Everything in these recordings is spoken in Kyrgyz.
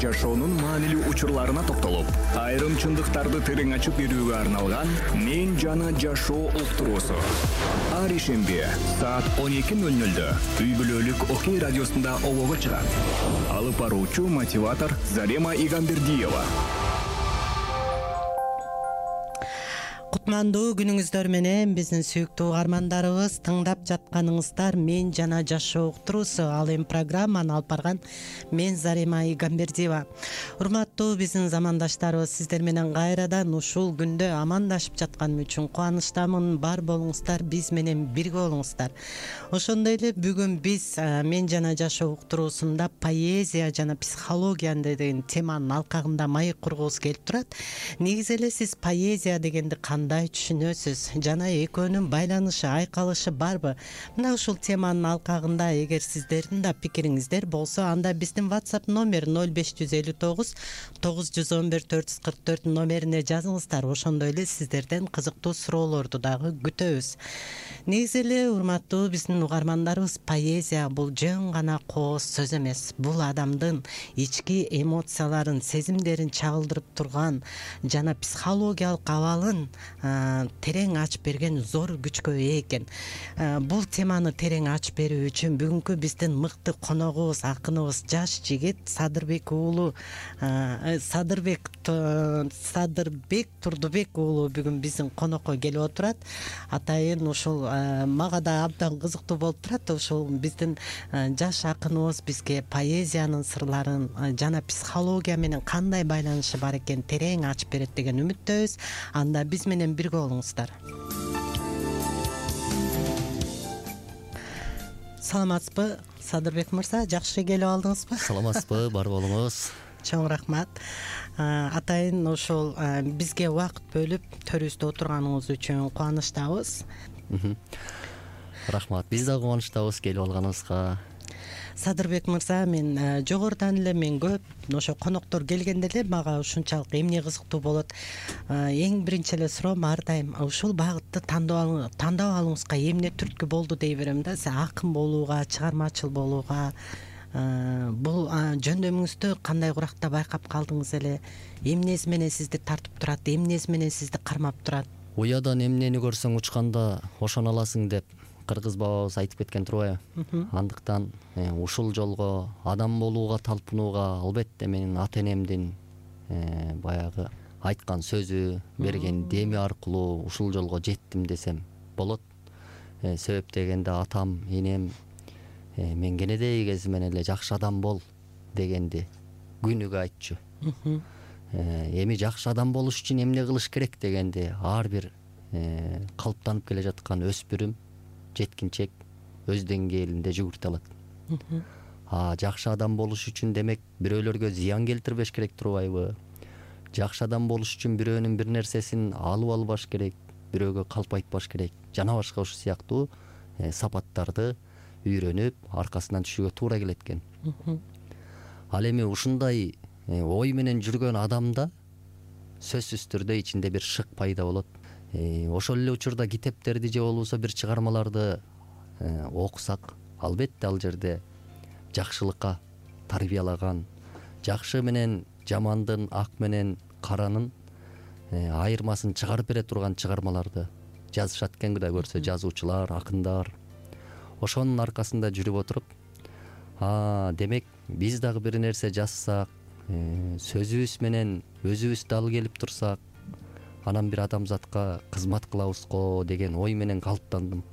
жашоонун маанилүү учурларына токтолуп, айрым чындыктарды терең ачып берүүгө арналган «Мен жана жашоо» уктуруусу. Ар ишемби саат 12:00 үй бүлөлүк Окей радиосунда обого чыгат. Алып баруучу мотиватор Зарема Игамбердиева. Кутмандуу күнүңүздөр менен биздин сүйүктүү угармандарыбыз, тыңдап жатканыңыздар «Мен жана жашоо» уктуруусу. Ал эми программаны алып барган мен Зарема Игамбердиева. Урматтуу биздин замандаштарыбыз, сиздер менен кайрадан ушул күндө амандашып жатканым үчүн кубанычтамын. Бар болуңуздар, биз менен бирге болуңуздар. Ошондой эле бүгүн биз «Мен жана жашоо» уктуруусунда поэзия жана психология деген теманын алкагында маек кургубуз келип турат. Негизи эле сиз поэзия дегенди кандай түшүнөсүз жана экөөнүн байланышы, айкалышы барбы? Мына ушул теманын алкагында эгер сиздердин да пикириңиздер болсо, анда биздин WhatsApp номер 0559 911 444 номерине жазыңыздар. Ошондой эле сиздерден кызыктуу суроолорду дагы күтөбүз. Негизи эле урматтуу биздин угармандарыбыз, поэзия бул жөн гана кооз сөз эмес. Бул адамдын ички эмоцияларын, сезимдерин чагылдырып турган жана психологиялык абалын терең ачып берген зор күчкө ээ экен. Бул теманы терең ачып берүү үчүн бүгүнкү биздин мыкты коногубуз, акыныбыз, жаш жигит Садырбек Турдубек уулу бүгүн биздин конокко келип отурат. Атайын ушул мага да абдан кызыктуу болуп турат. Ушул биздин жаш акыныбыз бизге поэзиянын сырларын жана психология менен кандай байланышы бар экен терең ачып берет деген үмүттөбүз. Анда биз менен бирге болуңуздар. Саламатсызбы, Садырбек мырза? Жакшы келип алдыңызбы? Саламатсызбы, бар болуңуз. Чоң рахмат. Атайын ушул бизге убакыт бөлүп төрүбүздө отурганыңыз үчүн кубанычтабыз. Рахмат. Биз да кубанычтабыз келип алганыңызга. Садырбек мырза, мен жогорудан эле көп ошо коноктор келгенде эле мага ушунчалык эмне кызыктуу болот. Эң биринчи эле суроом ар дайым ушул багытты тандап алууңузга эмне түрткү болду дей берем да. Сиз акын болууга, чыгармачыл болууга бул жөндөмүңүздү кандай куракта байкап калдыңыз эле? Эмнеси менен сизди тартып турат, эмнеси менен сизди кармап турат? Уядан эмнени көрсөң учканда ошоно аласың деп кыргыз бабабыз айтып кеткен турбайбы? Андыктан ушул жолго адам болууга талпынууга албетте менин ата энемдин баягы айткан сөзү, берген деми аркылуу ушул жолго жеттим десем болот. Себеп дегенде атам, энем мен кенедей кезимен эле жакшы адам бол дегенди күнүгө айтчу. Эми жакшы адам болуш үчүн эмне кылыш керек дегенди ар бир калыптанып келе жаткан өспүрүм, жеткинчек өз деңгээлинде жүгүртө алат. Жакшы адам болуш үчүн демек бирөөлөргө зыян келтирбеш керек турбайбы? Жакшы адам болуш үчүн бирөөнүн бир нерсесин алып албаш керек, бирөөгө калп айтпаш керек. Жана башка ушул сыяктуу сапаттарды үйрөнүп, аркасынан түшүүгө туура келет экен. Ал эми ушундай ой менен жүргөн адамда сөзсүз түрдө ичинде бир шык пайда болот. Ошол эле учурда китептерди же болбосо бир чыгармаларды окусак, албетте ал жерде жакшылыкка тарбиялаган, жакшы менен жамандын, ак менен каранын айырмасын чыгарып бере турган чыгармаларды жазышат экен. Кудай көрсө жазуучулар, акындар ошонун аркасында жүрүп отуруп, демек биз дагы бир нерсе жазсак, сөзүбүз менен өзүбүз дал келип турсак, анан бир адамзатка кызмат кылабызго деген ой менен калыптандым.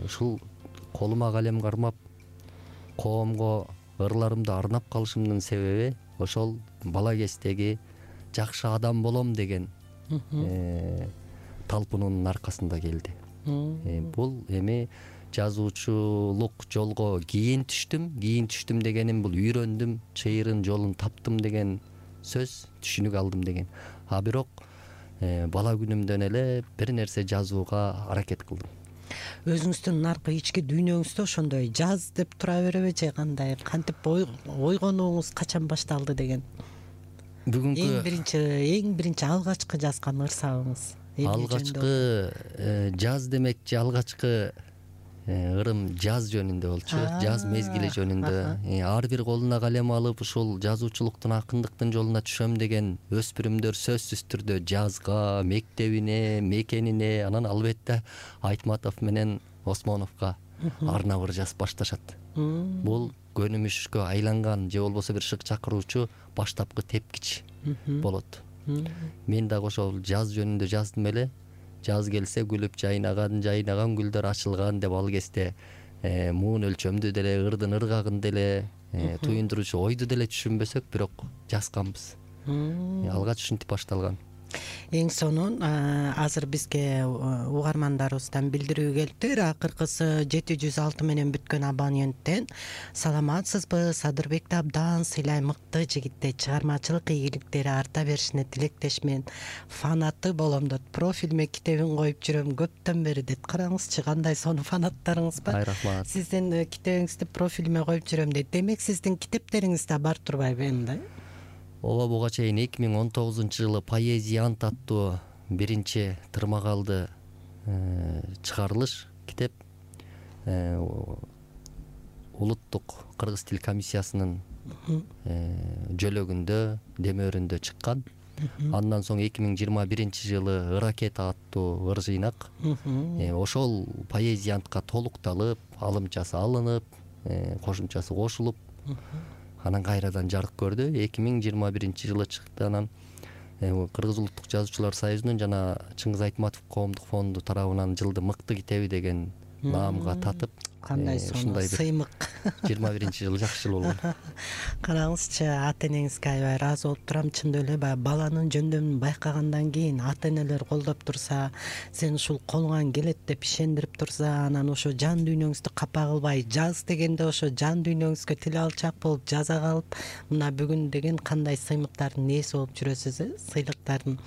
Ушул колума калем кармап, коомго ырларымды арнап калышымдын себеби ошол бала кездеги жакшы адам болом деген талпынуунун аркасында келди. Бул эми жазуучулук жолго кийин түштүм дегеним бул үйрөндүм, чыйырын жолун таптым деген сөз, түшүнүк алдым деген. Бирок бала күнүмдөн эле бир нерсе жазууга аракет кылдым. Өзүңүздүн наркы ички дүйнөңүздө ошондой жаз деп тура береби же кандай? Кантип ойгонууңуз качан башталды деген? Бүгүнкү эң биринчи алгачкы жазган ырсабыңыз? Алгачкы жаз демекчи алгачкы ырым жаз жөнүндө болчу, жаз мезгили жөнүндө. Ар бир колуна калем алып ушул жазуучулуктун, акындыктын жолуна түшөм деген өспүрүмдөр сөзсүз түрдө жазга, мектебине, мекенине, анан албетте Айтматов менен Осмоновго арнабыр жазып башташат. Бул көнүмүшкө айланган же болбосо бир шык чакыруучу баштапкы тепкич болот. Мен дагы ошол жаз жөнүндө жаздым эле. Жаз келсе күлүп жайнаган гүлдөр ачылган деп ал кезде муун өлчөмдү деле, ырдын ыргагын деле, туюндуручу ойду деле түшүнбөсөк, бирок жазганбыз. Алгач ушинтип башталган. Эң сонун азыр бизге угармандарыбыздан билдирүү келиптир. Акыркысы 706 менен бүткөн абоненттен саламатсызбы, Садырбекти абдан сыйлай, мыкты жигиттей, чыгармачылык ийгиликтери арта беришине тилектешмен, фанаты болом дейт. Профилиме китебин коюп жүрөм көптөн бери дейт. Караңызчы, кандай сонун фанаттарыңыз бар. Рахмат. Сиздин китебиңизди профилиме коюп жүрөм дейт. Демек сиздин китептериңиз да бар турбайбы эмне? Ооба, буга чейин 2019-жылы Поэзия ант аттуу биринчи тырмагалды чыгарылыш китеп улуттук кыргыз тил комиссиясынын жөлөгүндө, демөөрүндө чыккан. Андан соң 2021-жылы Ыракета аттуу ыр жыйнак ошол поэзия антка толукталып, алымчасы алынып, кошумчасы кошулуп, анан кайрадан жарык көрдү. 2021-жылы чыкты. Анан Кыргыз улуттук жазуучулар союзунун жана Чыңгыз Айтматов коомдук фонду тарабынан жылдын мыкты китеби деген наамга татып, кандай сонун сыймык. 21-жылы жакшы жыл болгон. Караңызчы, ата энеңизге аябай ыраазы болуп турам. Чындап эле баягы баланын жөндөмүн байкагандан кийин ата энелер колдоп турса, сен ушул колуңан келет деп ишендирип турса, анан ошо жан дүйнөңүздү капа кылбай жаз дегенде ошо жан дүйнөңүзгө тил алчак болуп жаза калып, мына бүгүн деген кандай сыймыктардын ээси болуп жүрөсүз, сыйлыктардын.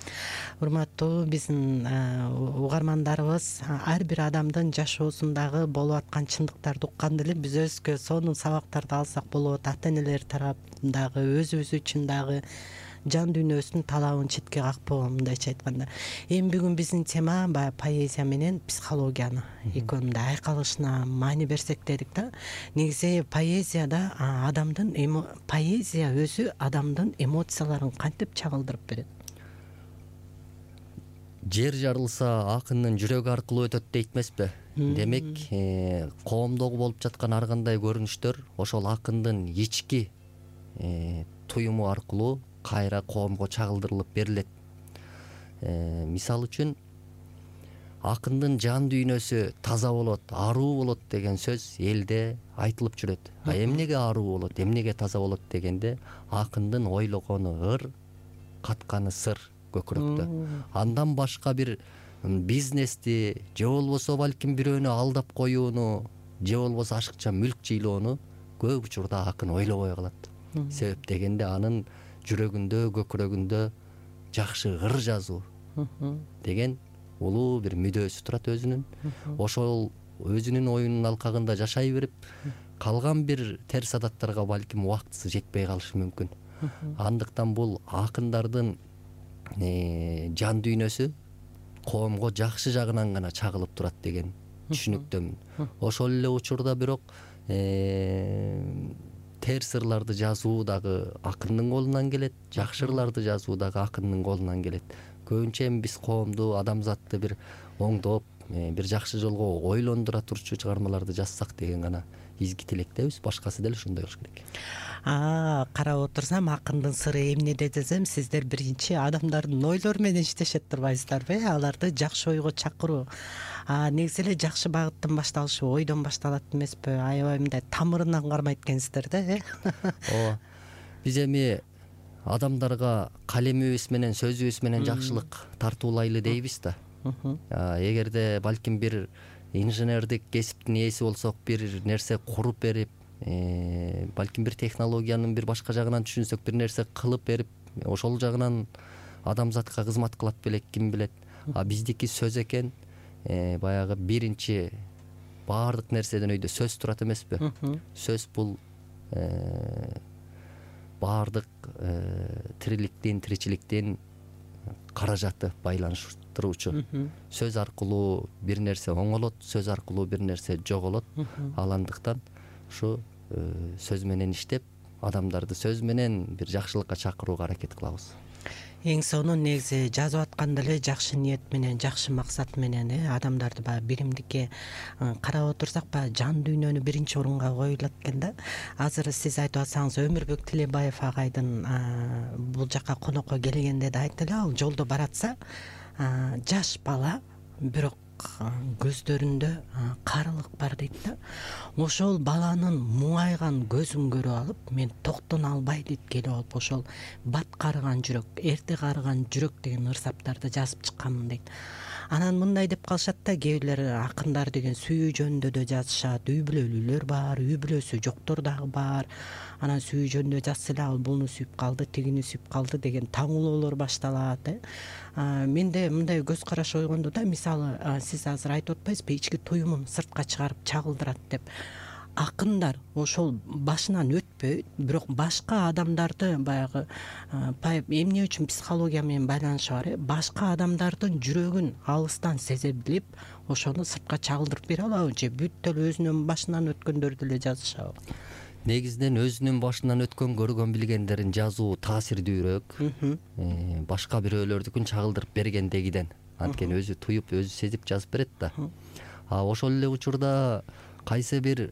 Урматтуу биздин угармандарыбыз ар бир адамдын жашоосундагы болуп аткан чындыктарды укканда эле биз өзгө сонун сабактарды алсак болот. Ата энелер тарабындагы, өзүбүз үчүн дагы жан дүйнөсүнүн талабын четке какпоо, мындайча айтканда. Эми бүгүн биздин тема баягы поэзия менен психологияны экөөнүн да айкалышына маани берсек дедик да. Негизи поэзияда поэзия өзү адамдын эмоцияларын кантип чагылдырып берет? Жер жарылса акындын жүрөгү аркылуу өтөт дейт эмеспи? Демек, коомдогу болуп жаткан ар кандай көрүнүштөр ошол акындын ички туюму аркылуу кайра коомго чагылдырылып берилет. Мисалы үчүн, акындын жан дүйнөсү таза болот, аруу болот деген сөз элде айтылып жүрөт. Эмнеге аруу болот, эмнеге таза болот дегенде, акындын ойлогону ыр, катканы сыр көкүрөктө. Андан башка бир бизнести, же болбосо балким бирөөнү алдап коюуну, же болбосо ашыкча мүлк жыйлоону көп учурда акын ойлобой калат. Себеп дегенде анын жүрөгүндө, көкүрөгүндө жакшы ыр жазуу деген улуу бир мүдөөсү турат өзүнүн. Ошол өзүнүн оюнун алкагында жашай берип, калган бир терс адаттарга балким убактысы жетпей калышы мүмкүн. Андыктан бул акындардын жан дүйнөсү коомго жакшы жагынан гана чагылып турат деген түшүнүктөмүн. Ошол эле учурда бирок терс ырларды жазуу дагы акындын колунан келет, жакшы ырларды жазуу дагы акындын колунан келет. Көбүнчө эми биз коомду, адамзатты бир оңдоп, бир жакшы жолго ойлондура турчу чыгармаларды жазсак деген гана изги тилектебиз. Башкасы деле ошондой болуш керек. Карап отурсам, акындын сыры эмнеде десем, сиздер биринчи адамдардын ойлору менен иштешет турбайсыздарбы? Аларды жакшы ойго чакыруу. Негизи эле жакшы багыттын башталышы ойдон башталат эмеспи? Аябай мындай тамырынан кармайт экенсиздер да, Ооба. Биз эми адамдарга калемибиз менен, сөзүбүз менен жакшылык тартуулайлы дейбиз да. Эгерде балким бир инженердик кесиптин ээси болсок, бир нерсе куруп берип, балким бир технологиянын бир башка жагынан түшүнсөк, бир нерсе кылып берип, ошол жагынан адамзатка кызмат кылат белек, ким билет. Биздики сөз экен, баягы биринчи баардык нерседен өйдө сөз турат эмеспи? Сөз бул баардык тириликтин, тиричиликтин каражаты байланыштыруучу. Сөз аркылуу бир нерсе оңолот, сөз аркылуу бир нерсе жоголот. Ал андыктан ушу сөз менен иштеп, адамдарды сөз менен бир жакшылыкка чакырууга аракет кылабыз. Эң сонун негизи жазып атканда эле жакшы ниет менен, жакшы максат менен адамдарды баягы биримдикке карап отурсак, баягы жан дүйнөнү биринчи орунга коюлат экен да. Азыр сиз айтып атсаңыз, Өмүрбек Тилебаев агайдын бул жака конокко келгенде да айтты эле, ал жолдо баратса жаш бала, бирок көздөрүндө карылык бар дейт да. Ошол баланын муңайган көзүн көрүп алып, мен токтоно албай дейт, келип алып ошол бат карыган жүрөк, эрте карыган жүрөк деген ырсаптарды жазып чыкканмын дейт. Анан мындай деп калышат да, кээ бирлер акындар деген сүйүү жөнүндө да жазышат. Үй бүлөлүүлөр бар, үй бүлөсү жоктор дагы бар. Анан сүйүү жөнүндө жазса эле, ал буну сүйүп калды, тигини сүйүп калды деген таңуулоолор башталат. Менде мындай көз караш ойгонду да, мисалы сиз азыр айтып атпайсызбы, ички туюмун сыртка чыгарып чагылдырат деп. Акындар ошол башынан өтпөйт, бирок башка адамдарды баягы эмне үчүн психология менен байланышы бар, башка адамдардын жүрөгүн алыстан сезе билип, ошону сыртка чагылдырып бере алабы же бүт эле өзүнүн башынан өткөндөрдү эле жазышабы? Негизинен өзүнүн башынан өткөн, көргөн, билгендерин жазуу таасирдүүрөөк, башка бирөөлөрдүкүн чагылдырып бергендегиден. Анткени өзү туюп, өзү сезип жазып берет да. Ошол эле учурда кайсы бир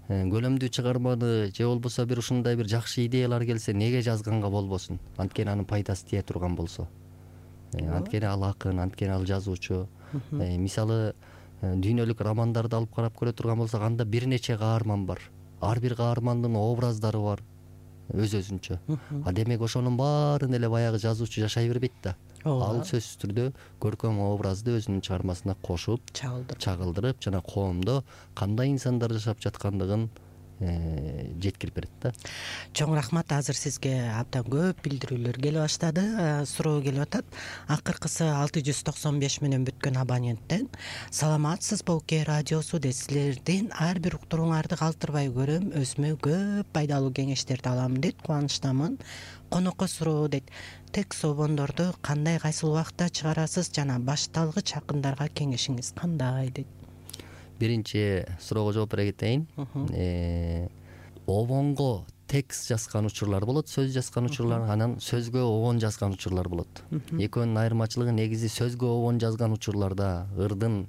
көлөмдүү чыгарманы же болбосо бир ушундай бир жакшы идеялар келсе, неге жазганга болбосун? Анткени анын пайдасы тие турган болсо. Анткени ал акын, анткени ал жазуучу. Мисалы, дүйнөлүк романдарды алып карап көрө турган болсок, анда бир нече каарман бар. Ар бир каармандын образдары бар өз-өзүнчө. Демек ошонун баарын эле баягы жазуучу жашай бербейт да. Ал сөзсүз түрдө көркөм образды өзүнүн чыгармасына кошуп, чагылдырып, жана коомдо кандай инсандар жашап жаткандыгын жеткирип берет да. Чоң рахмат. Азыр сизге абдан көп билдирүүлөр келе баштады. Суроо келип атат. Акыркысы 695 менен бүткөн абоненттен: саламатсызбы УК радиосу дейт. Силердин ар бир уктурууңарды калтырбай көрөм, өзүмө көп пайдалуу кеңештерди алам дейт. Кубанычтамын. Конокко суроо дейт. Текст собондорду кандай, кайсыл убакытта чыгарасыз жана башталгыч акындарга кеңешиңиз кандай дейт. Биринчи суроого жооп бере кетейин. Обонго текст жазган учурлар болот, сөз жазган учурлар, анан сөзгө обон жазган учурлар болот. Экөөнүн айырмачылыгы негизи сөзгө обон жазган учурларда ырдын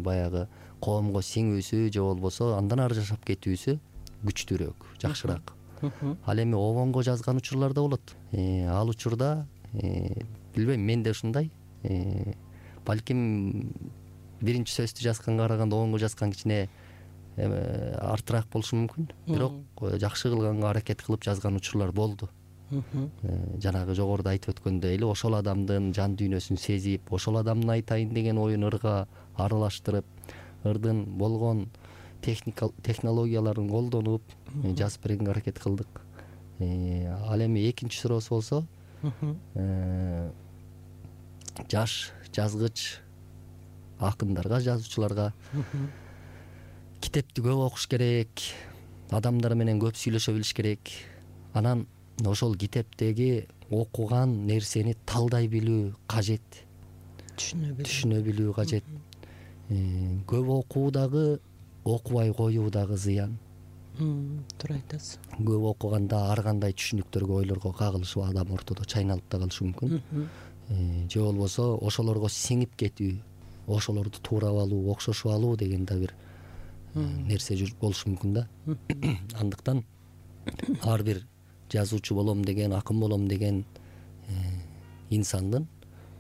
баягы коомго сиңүүсү же болбосо андан ары жашап кетүүсү күчтүүрөөк, жакшыраак. Ал эми обонго жазган учурларда болот. Ал учурда билбейм, менде ушундай. Балким биринчи сөздү жазганга караганда обонго жазган кичине артыраак болушу мүмкүн. Бирок жакшы кылганга аракет кылып жазган учурлар болду. Жанагы жогоруда айтып өткөндөй эле, ошол адамдын жан дүйнөсүн сезип, ошол адамдын айтайын деген оюн ырга аралаштырып, ырдын болгон технологияларын колдонуп жазып бергенге аракет кылдык. Ал эми экинчи суроосу болсо, жаш жазгыч акындарга, жазуучуларга китепти көп окуш керек, адамдар менен көп сүйлөшө билиш керек. Анан ошол китептеги окуган нерсени талдай билүү кажет, түшүнө билүү кажет. Көп окуу дагы, окубай коюу дагы зыян. Туура айтасыз. Көп окуганда ар кандай түшүнүктөргө, ойлорго кагылышып, адам ортодо чайналып да калышы мүмкүн. Же болбосо ошолорго сиңип кетүү, ошолорду туурап алуу, окшошуп алуу деген да бир нерсе болушу мүмкүн да. Андыктан ар бир жазуучу болом деген, акын болом деген инсандын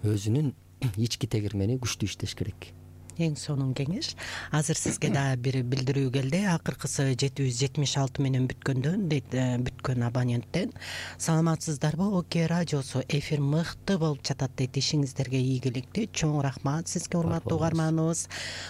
өзүнүн ички тегирмени күчтүү иштеш керек. Эң сонун кеңеш. Азыр сизге да бир билдирүү келди. Акыркысы 776 менен бүткөндөн дейт, бүткөн абоненттен: саламатсыздарбы ОК радиосу, эфир мыкты болуп жатат дейт. Ишиңиздерге ийгилик дейт. Чоң рахмат сизге, урматтуу угарманыбыз.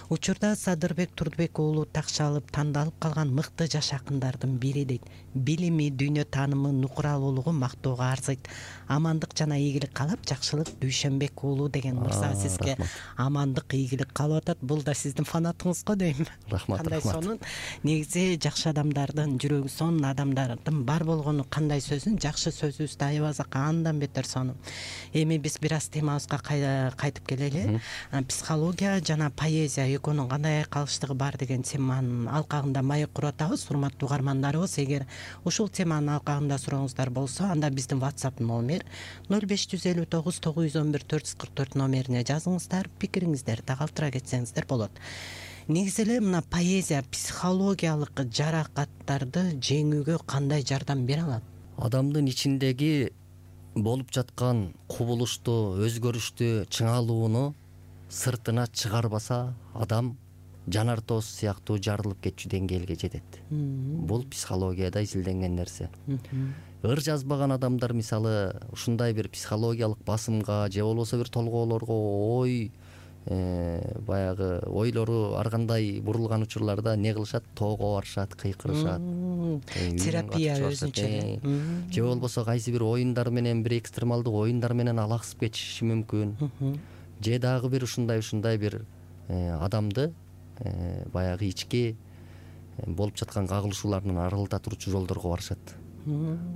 Учурда Садырбек Турдубек уулу Такшалып тандалып калган мыкты жаш акындардын бири дейт. Билими, дүйнө таанымы, нукуралуулугу мактоого арзыйт. Амандык жана ийгилик каалап, Жакшылык Дүйшөнбек уулу деген мырза сизге амандык, ийгилик каалап атат. Бул да сиздин фанатыңыз го дейм. Рахмат, кандай рахмат. сонун. Негизи жакшы адамдардын, жүрөгү сонун адамдардын бар болгону кандай сөзүн, жакшы сөзүбүздү аябасак андан бетер сонун. Эми биз бир аз темабызга кайтып келели. Психология жана поэзия экөөнүн кандай айкалыштыгы бар деген теманын алкагында маек куруп атабыз. Урматтуу угармандарыбыз, эгер ушул теманын алкагында сурооңуздар болсо, анда биздин WhatsApp номер 0559 911 444 номерине жазыңыздар, пикириңиздерди калтыра кетсеңиздер болот. Негизи эле мына поэзия психологиялык жаракаттарды жеңүүгө кандай жардам бере алат? Адамдын ичиндеги болуп жаткан кубулушту, өзгөрүштү, чыңалууну сыртына чыгарбаса, адам жанар тоз сыяктуу жарылып кетчү деңгээлге жетет. Бул психологияда изилденген нерсе. Ыр жазбаган адамдар мисалы ушундай бир психологиялык басымга же болбосо бир толгоолорго баягы ойлору ар кандай бурулган учурларда не кылышат? Тоого барышат, кыйкырышат. Терапия өзүнчө. Же болбосо кайсы бир оюндар менен, бир экстремалдуу оюндар менен алаксып кетиши мүмкүн. Же дагы бир ушундай бир адамды баягы ички болуп жаткан кагылышууларынан арылта турчу жолдорго барышат.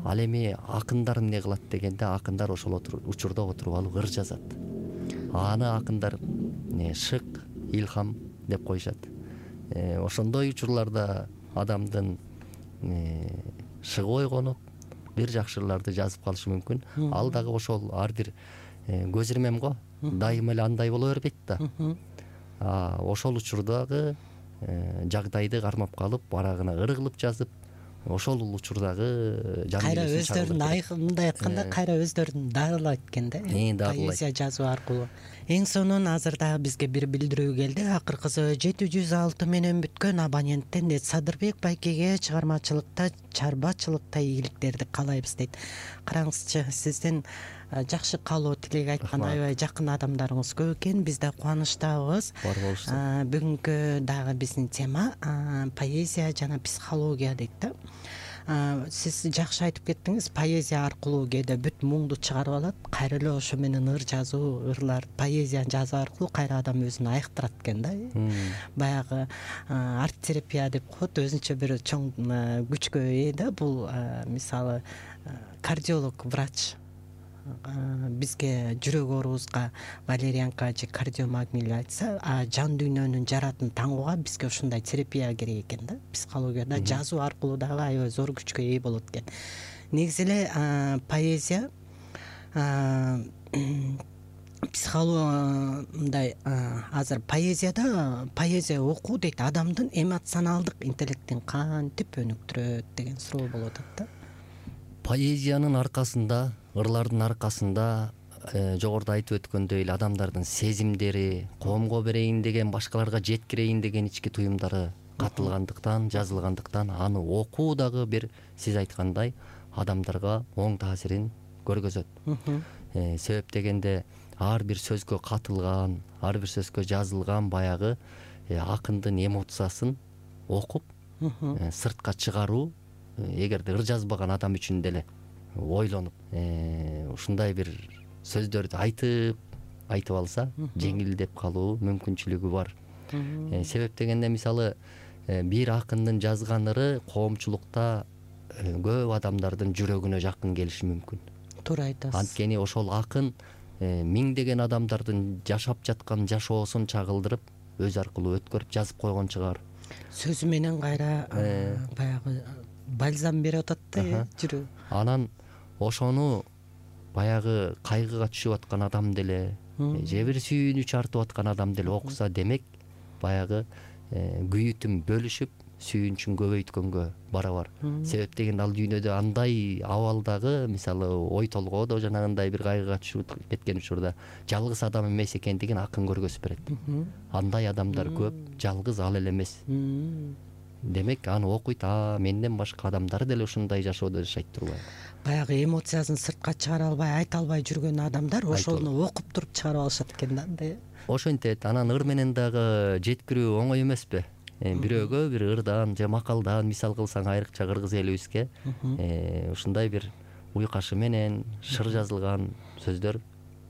Ал эми акындар эмне кылат дегенде, акындар ошол учурда отуруп алып ыр жазат. Аны акындар шык, илхам деп коюшат. Ошондой учурларда адамдын шыгы ойгонуп, бир жакшыларды жазып калышы мүмкүн. Ал дагы ошол ар бир көз ирмем го, дайыма эле андай боло бербейт да. Ошол учурдагы жагдайды кармап калып, барагына ыр кылып жазып, ошол учурдагы кайра өздөрүн мындай айтканда кайра өздөрүн дарылайт экен да, поэзия жазуу аркылуу. Эң сонун азыр дагы бизге бир билдирүү келди. Акыркысы 706 менен бүткөн абоненттен Садырбек байкеге чыгармачылыкта, чарбачылыкта ийгиликтерди каалайбыз дейт. Караңызчы, сиздин жакшы каалоо тилек айткан аябай жакын адамдарыңыз көп экен. Биз да кубанычтабыз. Бар болушса. Бүгүнкү дагы биздин тема поэзия жана психология дейт да. Сиз жакшы айтып кеттиңиз, поэзия аркылуу кээде бүт муңду чыгарып алат, кайра эле ошо менен ыр жазуу, ырлар, поэзияны жазуу аркылуу кайра адам өзүн айыктырат экен да. Баягы арт-терапия деп коет, өзүнчө бир чоң күчкө ээ да. Бул мисалы кардиолог, врач бизге жүрөк оорубузга валерьянка же кардиомагнил айтса, жан дүйнөнүн жаратын таңууга бизге ушундай терапия керек экен да. Психологияда жазуу аркылуу дагы аябай зор күчкө ээ болот экен. Негизи эле поэзия психология азыр поэзия окуу дейт, адамдын эмоционалдык интеллектин кантип өнүктүрөт деген суроо болуп атат да. Поэзиянын аркасында, ырлардын аркасында жогоруда айтып өткөндөй эле адамдардын сезимдери, коомго берейин деген, башкаларга жеткирейин деген ички туюмдары катылгандыктан, жазылгандыктан аны окуу дагы бир сиз айткандай адамдарга оң таасирин көргөзөт. Себеп дегенде ар бир сөзгө катылган, ар бир сөзгө жазылган баягы акындын эмоциясын окуп сыртка чыгаруу, эгерде ыр жазбаган адам үчүн деле ойлонуп ушундай бир сөздөрдү айтып алса, жеңилдеп калуу мүмкүнчүлүгү бар. Себеп дегенде мисалы бир акындын жазган ыры коомчулукта көп адамдардын жүрөгүнө жакын келиши мүмкүн. Туура айтасыз. Анткени ошол акын миңдеген адамдардын жашап жаткан жашоосун чагылдырып, өз аркылуу өткөрүп жазып койгон чыгар. Сөзү менен кайра баягы бальзам берип атат да жүрөк. Анан ошону баягы кайгыга түшүп аткан адам деле, же бир сүйүнүч артып аткан адам деле окуса, демек баягы күйүтүн бөлүшүп, сүйүнчүн көбөйткөнгө барабар. Себеп дегенде ал дүйнөдө андай абалдагы, мисалы ой толгоодо жанагындай бир кайгыга түшүп кеткен учурда жалгыз адам эмес экендигин акын көргөзүп берет. Андай адамдар көп, жалгыз ал эле эмес. Демек аны окуйт, менден башка адамдар деле ушундай жашоодо жашайт турбайбы? Баягы эмоциясын сыртка чыгара албай, айта албай жүргөн адамдар ошону окуп туруп чыгарып алышат экен да. Ошентет. Анан ыр менен дагы жеткирүү оңой эмеспи? Бирөөгө бир ырдан же макалдан мисал кылсаң, айрыкча кыргыз элибизге ушундай бир уйкашы менен шыр жазылган сөздөр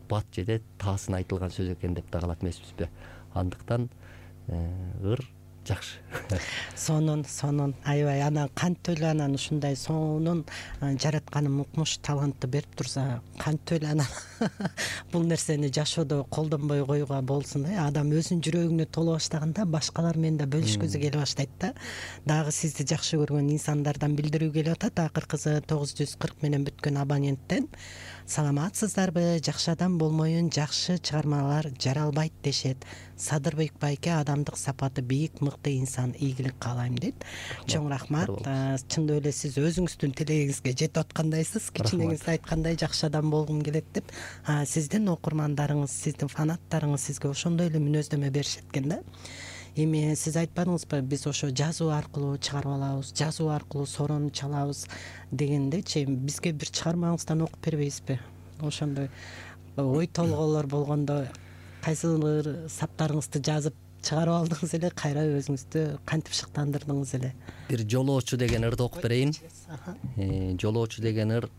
бат жеде таасын айтылган сөз экен деп да калат эмеспизби? Андыктан ыр жакшы. Сонун аябай анан кантип эле анан ушундай сонун жаратканын укмуш талантты берип турса, кантип эле анан бул нерсени жашоодо колдонбой коюуга болсун. Адам өзүнүн жүрөгүнө толо баштаганда башкалар менен да бөлүшкүсү келе баштайт да. Дагы сизди жакшы көргөн инсандардан билдирүү келип атат. Акыркысы 940 менен бүткөн абоненттен. Саламатсыздарбы? Жакшы адам болмоюн жакшы чыгармалар жаралбайт дешет. Садырбек байке адамдык сапаты бийик, мыкты инсан, ийгилик каалайм дейт. Чоң рахмат. Чындап эле сиз өзүңүздүн тилегиңизге жетип аткандайсыз. Кичинеңизде айткандай жакшы адам болгум келет деп. Сиздин окурмандарыңыз, сиздин фанаттарыңыз сизге ошондой эле мүнөздөмө беришет экен да. Эми сиз айтпадыңызбы, биз ошо жазуу аркылуу чыгарып алабыз, жазуу аркылуу сорону чалабыз дегендечи, бизге бир чыгармаңыздан окуп бербейсизби? Ошондой ой толгоолор болгондо кайсылыр саптарыңызды жазып чыгарып алдыңыз эле, кайра өзүңүздү кантип шыктандырдыңыз эле? Бир жолоочу деген ырды окуп берейин. Жолоочу деген ыр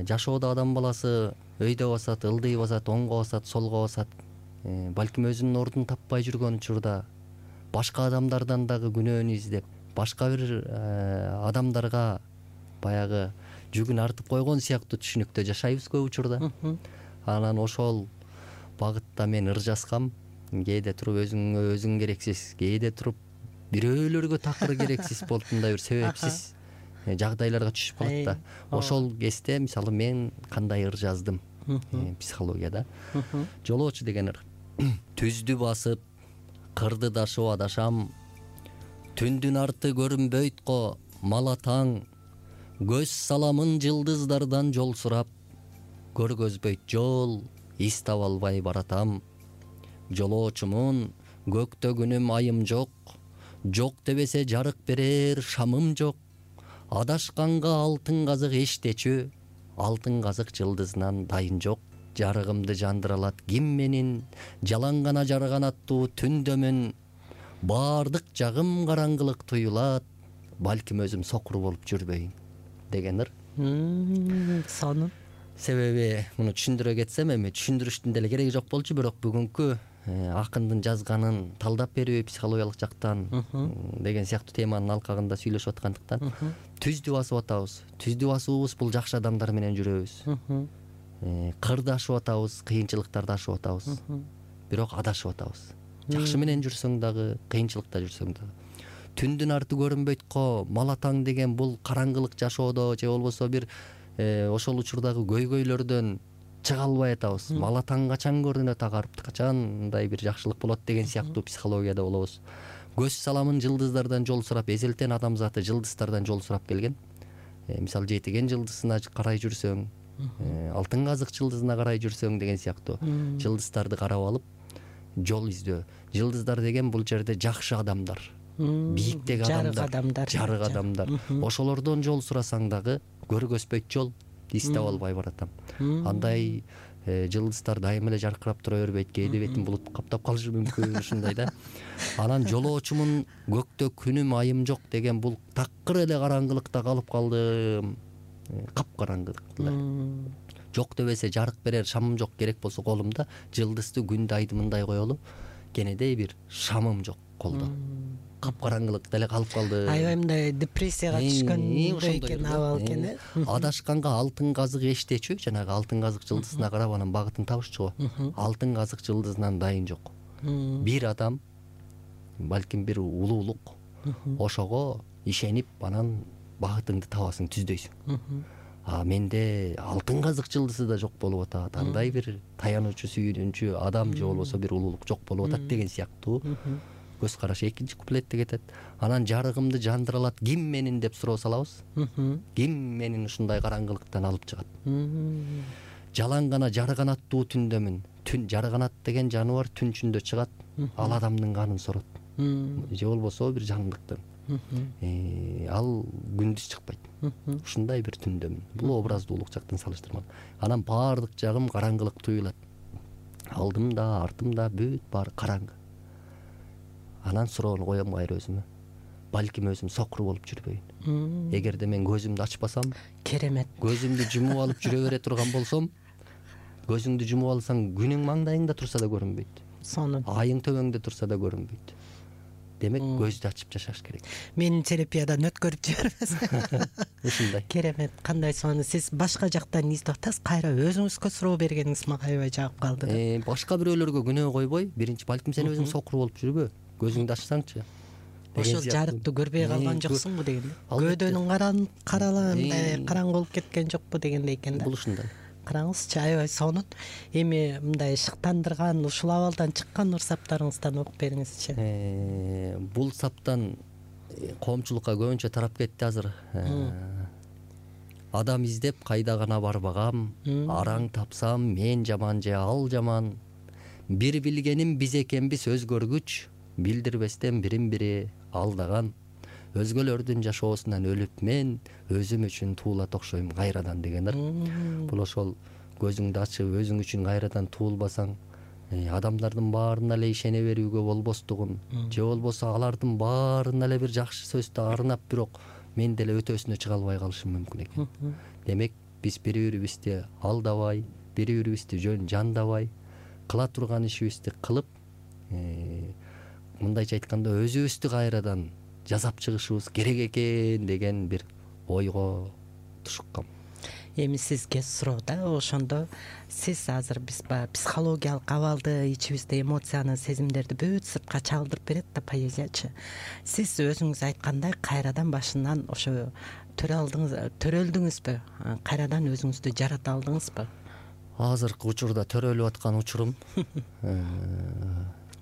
жашоодо адам баласы өйдө басат, ылдый басат, оңго басат, солго басат. Балким өзүнүн ордун таппай жүргөн учурда башка адамдардан дагы күнөөнү издеп, башка бир адамдарга баягы жүгүн артып койгон сыяктуу түшүнүктө жашайбыз көп учурда. Анан ошол багытта мен ыр жазгам. Кээде туруп өзүң керексиз, кээде туруп бирөөлөргө такыр керексиз болуп мындай бир себепсиз жагдайларга түшүп калат да. Ошол кезде мисалы мен кандай ыр жаздым психологияда. Жолоочу деген ыр. Түздү басып кырды дашып адашам, түндүн арты көрүнбөйт го мала таң, көз саламын жылдыздардан жол сурап, көргөзбөйт жол из таба албай баратам. Жолоочумун көктө күнүм айым жок, жок дебесе жарык берер шамым жок. Адашканга алтын казык эчтечү, алтын казык жылдызынан дайын жок. Жарыгымды жандыра алат ким менин, жалаң гана жарган аттуу түндөмүн. Баардык жагым караңгылык туюлат, балким өзүм сокур болуп жүрбөйүн деген ыр. Сонун. Себеби муну түшүндүрө кетсем, эми түшүндүрүштүн деле кереги жок болчу, бирок бүгүнкү акындын жазганын талдап берүү психологиялык жактан деген сыяктуу теманын алкагында сүйлөшүп аткандыктан түздү басып атабыз. Түздү басуубуз бул жакшы адамдар менен жүрөбүз. Кырды ашып атабыз, кыйынчылыктарды ашып атабыз. Бирок адашып атабыз. Жакшы менен жүрсөң дагы, кыйынчылыкта жүрсөң дагы. Түндүн арты көрүнбөйт го мала таң деген бул караңгылык жашоодо же болбосо бир ошол учурдагы көйгөйлөрдөн чыга албай атабыз. Мала таң качан көрүнөт агарып, качан мындай бир жакшылык болот деген сыяктуу психологияда болобуз. Көз саламын жылдыздардан жол сурап, эзелтен адамзаты жылдыздардан жол сурап келген. Мисалы жетиген жылдызына карай жүрсөң, алтын казык жылдызына карай жүрсөң деген сыяктуу жылдыздарды карап алып жол издөө. Жылдыздар деген бул жерде жакшы адамдар, бийиктеги адамдар, жарык адамдар. Ошолордон жол сурасаң дагы көргөзбөйт жол из таба албай баратам. Андай жылдыздар дайым эле жаркырап тура бербейт, кээде бетин булут каптап калышы мүмкүн, ушундай да. Анан жолоочумун көктө күнүм айым жок деген бул такыр эле караңгылыкта калып калдым. Капкараңгылыкта. Жок дебесе жарык берер шамым жок, керек болсо колумда жылдызды күндү айды мындай коелу, кенедей бир шамым жок колдо. Капкараңгылыкта эле калып калды. Аябай мындай депрессияга түшкөндөй экен абал экен. Адашканга алтын казык эчтечү, жанагы алтын казык жылдызына карап анан багытын табышчу го. Алтын казык жылдызынан дайын жок. Бир адам, балким бир улуулук, ошого ишенип анан багытыңды табасың, түздөйсүң. Менде алтын казык жылдызы да жок болуп атат. Андай бир таянуучу, сүйүнүүчү адам же болбосо бир улуулук жок болуп атат деген сыяктуу көз караш экинчи куплетте кетет. Анан жарыгымды жандыра алат ким менин деп суроо салабыз. Ким менин ушундай караңгылыктан алып чыгат. Жалаң гана жарган аттуу түндөмүн. Түн жарганат деген жаныбар түн ичинде чыгат, ал адамдын канын сорот. Же болбосо бир жандыктын. Ал күндүз чыкпайт. Ушундай бир түндөмүн. Бул образдуулук жактан салыштырмалуу. Анан баардык жагым караңгылык туюлат. Алдымда, артымда бүт баары караңгы. Анан суроону коем кайра өзүмө. Балким өзүм сокур болуп жүрбөйүн. Эгерде мен көзүмдү ачпасам, керемет. Көзүмдү жумуп алып жүрө бере турган болсом, көзүңдү жумуп алсаң күнүң маңдайыңда турса да көрүнбөйт. Сонун. Айың төбөңдө турса да көрүнбөйт. демек көздү ачып жашаш керек. Менин терапиядан өткөрүп жибербесиз. Ушундай. Керемет. Кандай сонун. Сиз башка жактан издеп атасыз, кайра өзүңүзгө суроо бергениңиз мага аябай жагып калды. Башка бирөөлөргө күнөө койбой, биринчи балким сен өзүң сокур болуп жүрбө, көзүңдү ачсаңчы. Ошол жарыкты көрбөй калган жоксуңбу дегендей. Көөдөнүң караңгы болуп кеткен жокпу дегендей экен да. Бул ушундай. Караңызчы, аябай сонун. Эми мындай шыктандырган ушул абалдан чыккан урсаптарыңыздан окуп бериңизчи. Бул саптан коомчулукка көбүнчө тарап кетти азыр. Адам издеп кайда гана барбагам, араң тапсам мен жаман же ал жаман. Бир билгеним биз экенбиз өзгөргүч, билдирбестен бирин бири алдаган. Өзгөлөрдүн жашоосунан өлүп мен өзүм үчүн туулат окшойм кайрадан дегендер. Бул ошол көзүңдү ачып өзүң үчүн кайрадан туулбасаң, адамдардын баарына эле ишене берүүгө болбостугун, же болбосо алардын баарына эле бир жакшы сөздү арнап, бирок мен деле өтөсүнө чыга албай калышым мүмкүн экен. Демек биз бири-бирибизди алдабай, бири-бирибизди жөн жандабай, кыла турган ишибизди кылып, мындайча айтканда өзүбүздү кайрадан жасап чыгышыбыз керек экен деген бир ойго тушуккам. Эми сизге суроо да, ошондо сиз азыр биз психологиялык абалды, ичибизде эмоцияны, сезимдерди бүт сыртка чагылдырып берет да поэзиячы. Сиз өзүңүз айткандай кайрадан башынан ошо төрөлдүңүзбү? Кайрадан өзүңүздү жарата алдыңызбы? Азыркы учурда төрөлүп аткан учурум.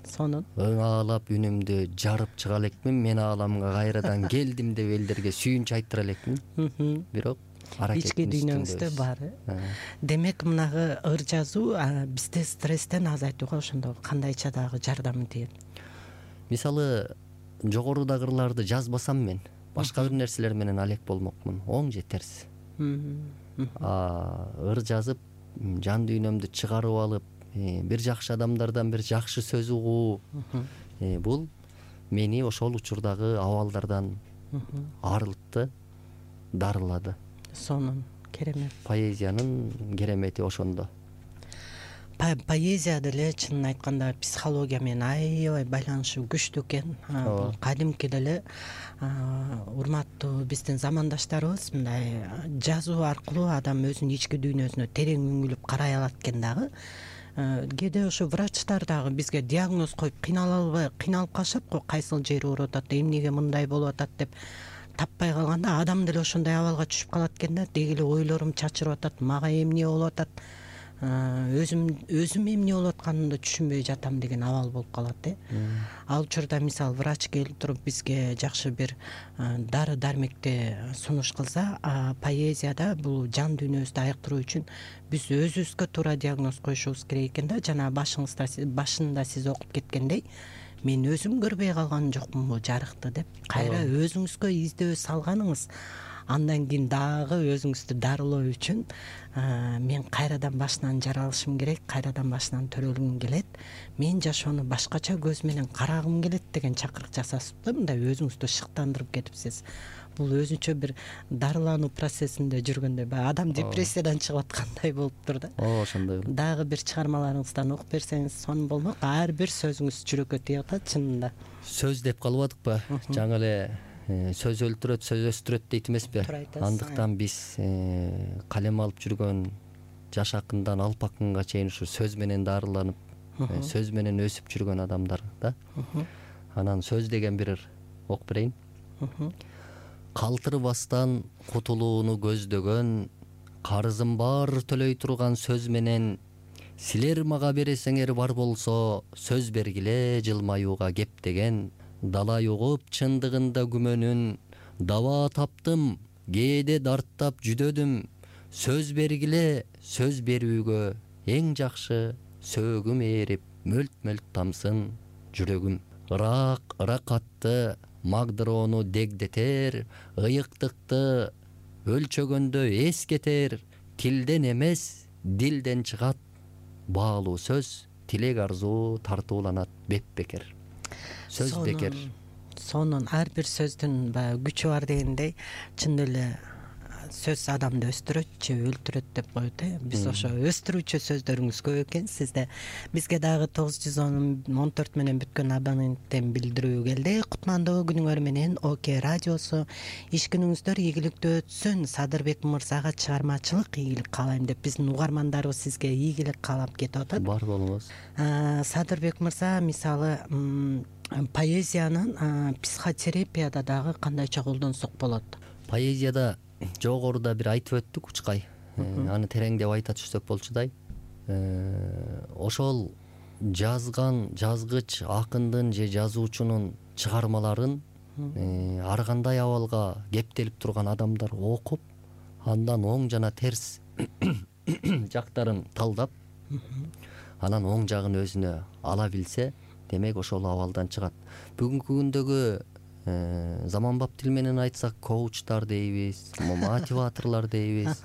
Сонун. Аалап үнүмдү жарып чыга элекмин. Мен ааламга кайрадан келдим деп элдерге сүйүнч айтыра элекмин. Бирок ички дүйнөңүздө бар. Демек мынагы ыр жазуу бизде стресстен азайтууга ошондо кандайча дагы жардамы тиет? Мисалы, Жогорудагы ырларды жазбасам мен башка бир нерселер менен алек болмокмун. Оң же терс. Ыр жазып, жан дүйнөмдү чыгарып алып, бир жакшы адамдардан бир жакшы сөз угуу, бул мени ошол учурдагы абалдардан арылтты, дарылады. Сонун, керемет. Поэзиянын керемети ошондо. Поэзия деле чынын айтканда психология менен аябай байланышы күчтүү экен. Бул кадимки деле урматтуу биздин замандаштарыбыз мындай жазуу аркылуу адам өзүнүн ички дүйнөсүнө терең үңүлүп карай алат экен дагы. Кээде ошо врачтар дагы бизге диагноз коюп кыйналып калышат го, кайсыл жери ооруп атат, эмнеге мындай болуп атат деп таппай калганда адам деле ошондой абалга түшүп калат экен да. Деги эле ойлорум чачырып атат, мага эмне болуп атат, өзүм эмне болуп атканымды түшүнбөй жатам деген абал болуп калат. Ал учурда мисалы врач келип туруп бизге жакшы бир дары дармекти сунуш кылса, поэзияда бул жан дүйнөбүздү айыктыруу үчүн биз өзүбүзгө туура диагноз коюшубуз керек экен да. Жана башында сиз окуп кеткендей, мен өзүм көрбөй калган жокмун бул жарыкты деп кайра өзүңүзгө издөө салганыңыз, андан кийин дагы өзүңүздү дарылоо үчүн мен кайрадан башынан жаралышым керек, кайрадан башынан төрөлгүм келет, мен жашоону башкача көз менен карагым келет деген чакырык жасасыз да, мындай өзүңүздү шыктандырып кетипсиз. Бул өзүнчө бир дарылануу процессинде жүргөндөй, адам депрессиядан чыгып аткандай болуптур да. Ошондой. Дагы бир чыгармаларыңыздан окуп берсеңиз сонун болмок. Ар бир сөзүңүз жүрөккө тийип атат чынында. Сөз деп калбадыкпы? Жаңы эле сөз өлтүрөт, сөз өстүрөт дейт эмеспи? Андыктан биз калем алып жүргөн жаш акындан алп акынга чейин ушу сөз менен дарыланып, сөз менен өсүп жүргөн адамдар да. Анан сөз деген бир окуп берейин. Калтырбастан кутулууну көздөгөн, карызым бар төлөй турган сөз менен, силер мага бересеңер бар болсо, сөз бергиле жылмаюуга кептеген, далай угуп чындыгында күмөнүн, даба таптым, кээде дарттап жүдөдүм, сөз бергиле, сөз берүүгө эң жакшы сөөгүм ээрип, мөлт-мөлт тамсын жүрөгүм. Ыракатты магдыроону дегдетер, ыйыктыкты өлчөгөндө эскетер, тилден эмес дилден чыгат баалуу сөз, тилек арзуу тартууланат беп-бекер. Сөз бекер. Сонун, ар бир сөздүн күчү бар дегендей, чын эле сөз адамды өстүрөт же өлтүрөт деп коет. Биз ошо өстүрүүчү сөздөрүңүз көп экен сизде. Бизге дагы 914 менен бүткөн абоненттен билдирүү келди. Кутмандуу күнүңөр менен ОК радиосу. Иш күнүңүздөр ийгиликтүү өтсүн. Садырбек мырзага чыгармачылык ийгилик каалайм деп биздин угармандарыбыз сизге ийгилик каалап кетип атат. Бар болуңуз. Садырбек мырза, мисалы поэзиянын психотерапияда дагы кандайча колдонсок болот? Поэзияда жогоруда бир айтып өттүк Учкай. Аны тереңдеп айта түшсөк болчудай. Ошол жазгыч акындын же жазуучунун чыгармаларын ар кандай абалга кептелип турган адамдар окуп, андан оң жана терс жактарын талдап, анан оң жагын өзүнө ала билсе, демек ошол абалдан чыгат. Бүгүнкү күндөгү заманбап тил менен айтсак, коучтар дейбиз, мотиваторлор дейбиз.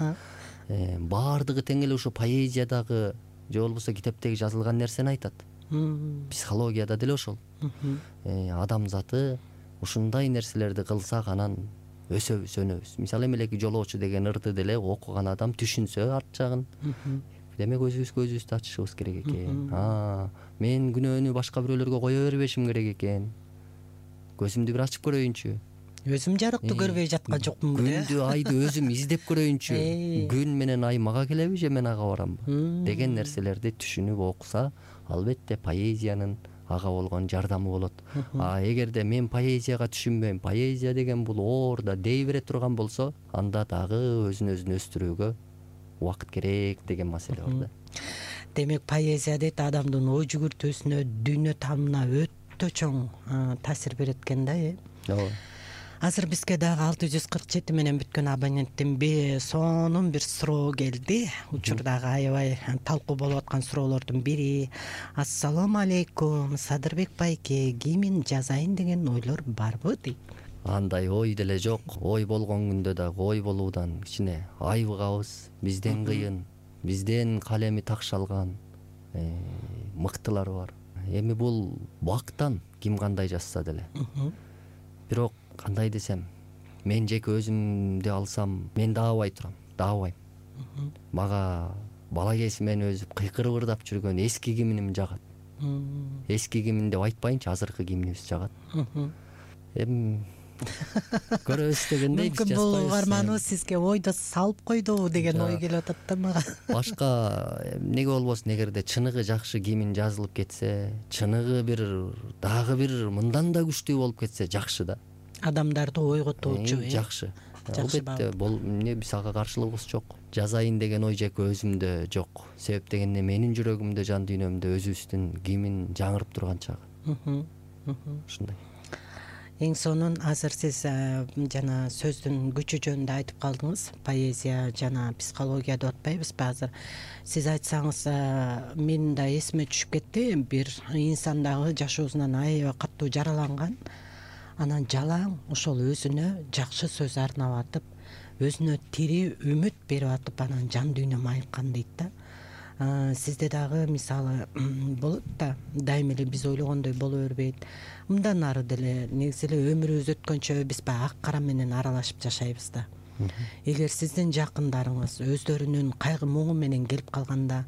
Баардыгы тең эле ушу поэзиядагы же болбосо китептеги жазылган нерсени айтат. Психологияда деле ошол. Адамзаты ушундай нерселерди кылсак анан өсөбүз, өнөбүз. Мисалы эмелеки жолоочу деген ырды деле окуган адам түшүнсө арт жагын, демек өзүбүзгө көзүбүздү ачышыбыз керек экен. Мен күнөөнү башка бирөөлөргө кое бербешим керек экен. Көзүмдү бир ачып көрөйүнчү. Өзүм жарыктуу көрбөй жаткан жокмун. Күндү, айды өзүм издеп көрөйүнчү. Күн менен ай мага келеби же мен ага барамбы? Деген нерселерди түшүнүп окуса, албетте поэзиянын ага болгон жардамы болот. Эгерде мен поэзияга түшүнбөйм, поэзия деген бул оорда дей бере турган болсо, анда дагы өзүн өстүрүүгө убакыт керек деген маселе бар да. Демек поэзия дейт адамдын ой жүгүртүүсүнө, дүйнө таанымына өтө чоң таасир берет экен да. Ооба. Азыр бизге дагы 647 менен бүткөн абоненттин сонун бир суроо келди. Учурдагы аябай талкуу болуп аткан суроолордун бири. Ассалому алейкум, Садырбек байке, кимин жазайын деген ойлор барбы дейт. Андай ой деле жок. Ой болгон күндө дагы ой болуудан кичине айыгабыз. Бизден кыйын, бизден калеми такшалган мыктылар бар. Эми бул бактан ким кандай жазса деле. Бирок кандай десем, мен жеке өзүмдү алсам, мен даабай турам, даабайм. Мага бала кезимден өзүп кыйкырып ырдап жүргөн эски гимним жагат. Эски гимн деп айтпайынчы, азыркы гимнибиз жагат. Эми көрөбүз дегендей биз жазбайбыз. Бул угарманыбыз сизге ойдо салып койдубу деген ой келип атат да мага. Башка эмнеге болбосун, эгерде чыныгы жакшы гимн жазылып кетсе, чыныгы бир дагы бир мындан да күчтүү болуп кетсе жакшы да. Адамдарды ойготуучу жакшы. Албетте, эмне биз ага каршылыгыбыз жок. Жазайын деген ой жеке өзүмдө жок. Себеп дегенде менин жүрөгүмдө, жан дүйнөмдө өзүбүздүн гимн жаңырып турган чагы. Ушундай. Эң сонун азыр сиз жана сөздүн күчү жөнүндө айтып калдыңыз. Поэзия жана психология деп атпайбызбы азыр? Сиз айтсаңыз, менин да эсиме түшүп кетти. Бир инсан дагы жашоосунан аябай катуу жараланган. Анан жалаң ошол өзүнө жакшы сөз арнап атып, өзүнө тирүү үмүт берип атып, анан жан дүйнөм айыккан дейт да. Сизде дагы мисалы болот да, дайыма эле биз ойлогондой боло бербейт. Мындан ары деле негизи эле өмүрүбүз өткөнчө биз баягы ак кара менен аралашып жашайбыз да. Эгер сиздин жакындарыңыз өздөрүнүн кайгы муңу менен келип калганда,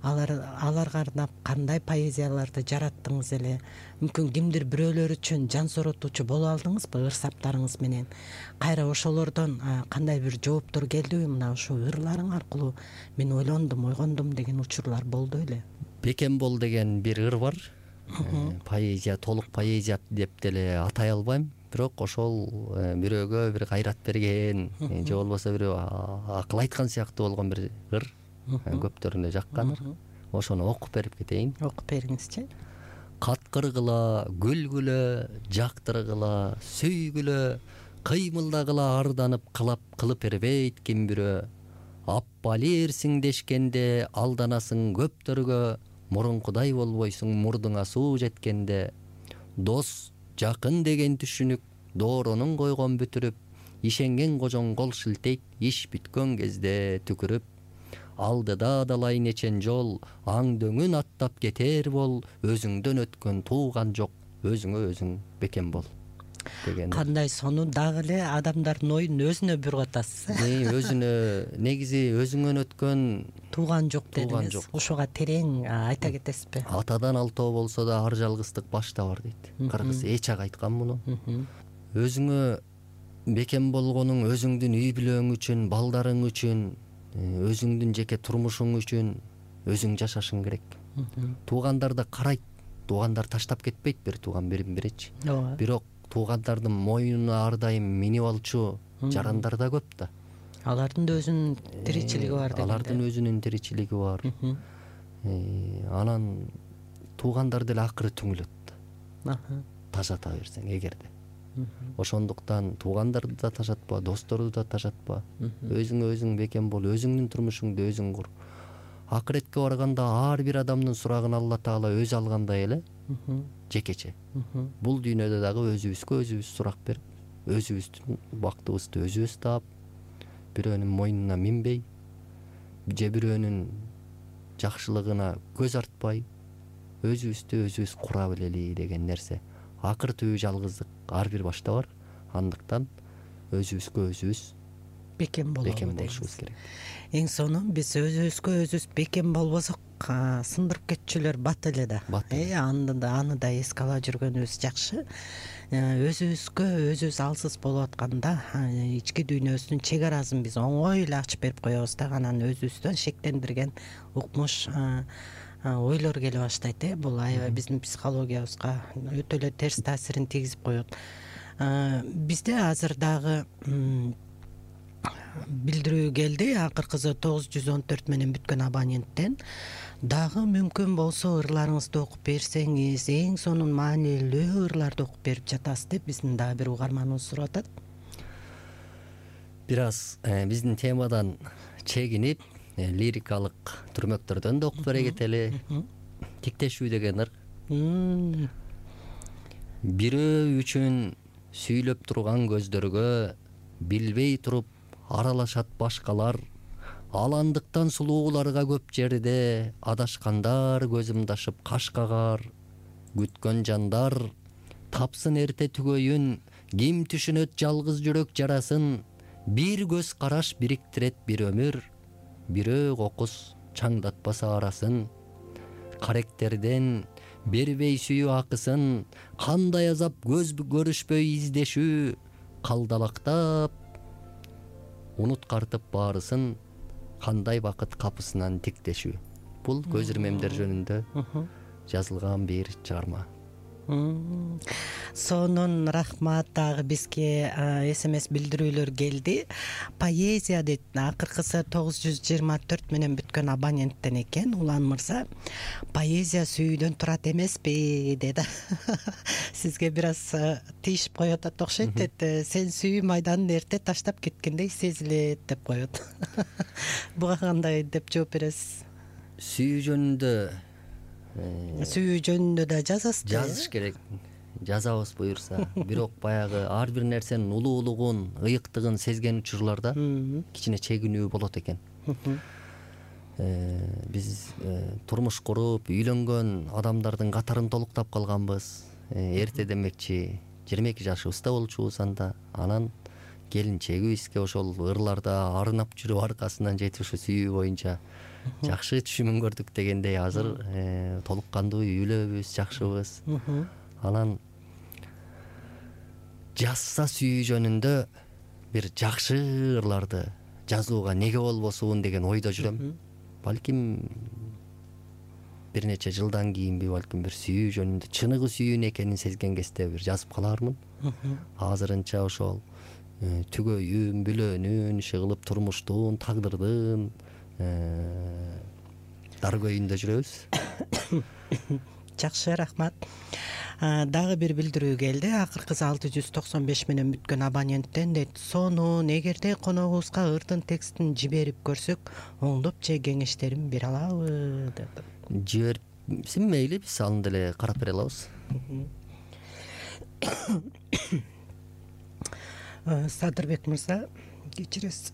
аларга арнап кандай поэзияларды жараттыңыз эле? Мүмкүн кимдир бирөөлөр үчүн жан сооротуучу боло алдыңызбы ыр-саптарыңыз менен? Кайра ошолордон кандай бир жооптор келдиби? Мына ушул ырларың аркылуу мен ойгондум деген учурлар болду эле. Бекембол деген бир ыр бар. Поэзия, толук поэзия деп деле атай албайм. Бирок ошол бирөөгө бир кайрат берген, же болбосо бирөө акыл айткан сыяктуу болгон бир ыр. Көптөрүнө жаккан ыр. Ошону окуп берип кетейин. Окуп бериңизчи. Каткыргыла, күлгүлө, жактыргыла, сүйгүлө, кыймылдагыла арданып кылып бербейт ким бирөө. Аппалерсиң дешкенде алданасың көптөргө, мурункудай болбойсуң мурдуңа суу жеткенде. Дос, жакын деген түшүнүк дооронун койгон бүтүрүп, ишенген кожоң кол шилтейт иш бүткөн кезде түкүрүп. Алдыда далай нечен жол, аңдөңүн аттап кетер бол, өзүңдөн өткөн тууган жок, өзүңө өзүң бекем бол. деген. Кандай сонун, дагы эле адамдардын оюн өзүнө буруп атасыз. Өзүнө негизи өзүңөн өткөн Тууган жок Тууган дедиңиз. жок. Ушуга терең айта кетесизби? Атадан алтоо болсо да ар жалгыздык башта бар дейт. Кыргыз эч айткан муну. Өзүңө бекем болгонуң өзүңдүн үй бүлөң үчүн, балдарың үчүн, өзүңдүн жеке турмушуң үчүн өзүң жашашың керек. Туугандар да карайт. Туугандар таштап кетпейт бир тууган бирин-биричи. Бирок туугандардын мойнуна ар дайым минип алчу жарандар да көп да. Алардын да өзүнүн тиричилиги бар дегенде. Алардын өзүнүн тиричилиги бар. Анан туугандар деле акыры түңүлөт. Тажата берсең эгерде. Ошондуктан туугандарды да тажатпа, досторду да тажатпа. Өзүңө өзүң бекем бол, өзүңдүн турмушуңду өзүң кур. Акыретке барганда ар бир адамдын сурагын Алла Таала өзү алгандай эле жекече. Бул дүйнөдө дагы өзүбүзгө өзүбүз сурак берип, өзүбүздүн бактыбызды өзүбүз таап, бирөөнүн мойнуна минбей, же бирөөнүн жакшылыгына көз артпай, өзүбүздү өзүбүз кура билели деген нерсе. Акыр түбү жалгыздык ар бир башта бар. Андыктан өзүбүзгө өзүбүз бекем болушубуз керек. Эң сонун биз өзүбүзгө өзүбүз бекем болбосок, сындырып кетчүлөр бат эле да. Аны да эске ала жүргөнүбүз жакшы. Өзүбүзгө өзүбүз алсыз болуп атканда ички дүйнөбүздүн чек арасын биз оңой эле ачып берип коебуз да. Анан өзүбүздөн шектендирген укмуш ойлор келе баштайт. Бул аябай биздин психологиябызга өтө эле терс таасирин тийгизип коет. Бизде азыр дагы билдирүү келди. Акыркысы 914 менен бүткөн абоненттен. Дагы мүмкүн болсо ырларыңызды окуп берсеңиз, эң сонун маанилүү ырларды окуп берип жатасыз деп биздин дагы бир угарманыбыз сурап атат. Бир аз биздин темадан чегинип, лирикалык түрмөктөрдөн да окуп бере кетели. Тиктешүү деген ыр. Бирөө үчүн сүйлөп турган көздөргө билбей туруп аралашат башкалар. Аландыктан сулууларга көп жерде адашкандар көзүмдү ашып каш кагар. Күткөн жандар тапсын эрте түгөйүн, ким түшүнөт жалгыз жүрөк жарасын. Бир көз караш бириктирет бир өмүр, бирөө кокус чаңдатпаса арасын. Каректерден бербей сүйүү акысын, кандай азап көз көрүшпөй издешүү. Калдалактап унуткартып баарысын, кандай бакыт капысынан тиктешүү. Бул көз ирмемдер жөнүндө жазылган бир чыгарма. Сонун рахмат. Дагы бизге SMS билдирүүлөр келди. Поэзия дейт. Акыркысы 924 менен бүткөн абоненттен экен. Улан мырза, поэзия сүйүүдөн турат эмеспи деди. Сизге бир аз тийишип коет атат окшойт. Сен сүйүү майданын эрте таштап кеткендей сезилет деп коет. Буга кандай деп жооп бересиз? Сүйүү жөнүндө да жазасыз. Жазыш керек. Жазабыз буюрса. Бирок баягы ар бир нерсенин улуулугун, ыйыктыгын сезген учурларда кичине чегинүү болот экен. Биз турмуш куруп, үйлөнгөн адамдардын катарын толуктап калганбыз. Эрте демекчи 22 жашыбызда болчубуз анда. Анан келинчегибизге ошол ырларда арынап жүрүп аркасынан жетип ушу сүйүү боюнча жакшы түшүмүн көрдүк дегендей азыр толук кандуу үйлөбүз, жакшыбыз. Анан жазса сүйүү жөнүндө бир жакшы ырларды жазууга неге болбосун деген ойдо жүрөм. Балким бир нече жылдан кийинби, балким бир сүйүү жөнүндө чыныгы сүйүүнү экенин сезген кезде бир жазып калаармын. Азырынча ошол түгөйүн, бүлөөнүн, иши кылып турмуштун, тагдырдын даргөйүндө жүрөбүз. Жакшы, рахмат. Дагы бир билдирүү келди. Акыркысы 695 менен бүткөн абоненттен дейт. Сонун, эгерде коногубузга ырдын текстин жиберип көрсөк, оңдоп же кеңештерин бере алабы деп. Жиберсин мейли, биз аны деле карап бере алабыз. Садырбек мырза, кечиресиз.